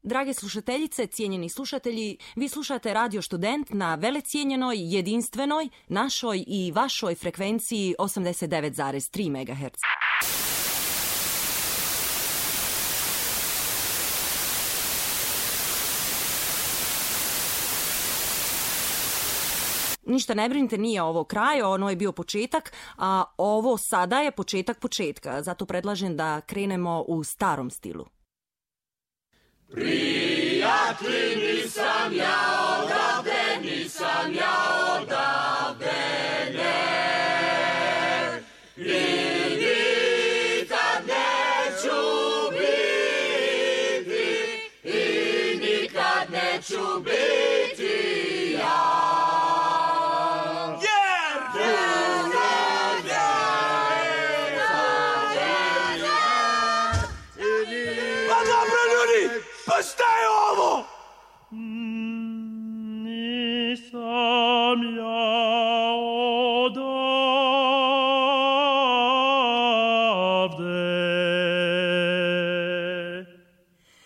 Drage slušateljice, cijenjeni slušatelji, vi slušate Radio Student na velecijenjenoj, jedinstvenoj, našoj i vašoj frekvenciji 89,3 MHz. Ništa ne brinite, nije ovo kraj, ono je bio početak, a ovo sada je početak početka. Zato predlažem da krenemo u starom stilu. Prijatelji, nisam ja odavde, nisam ja odavde, ne. I nikad neću biti, i nikad neću biti ja. Pa dobro, ljudi, pa šta je ovo?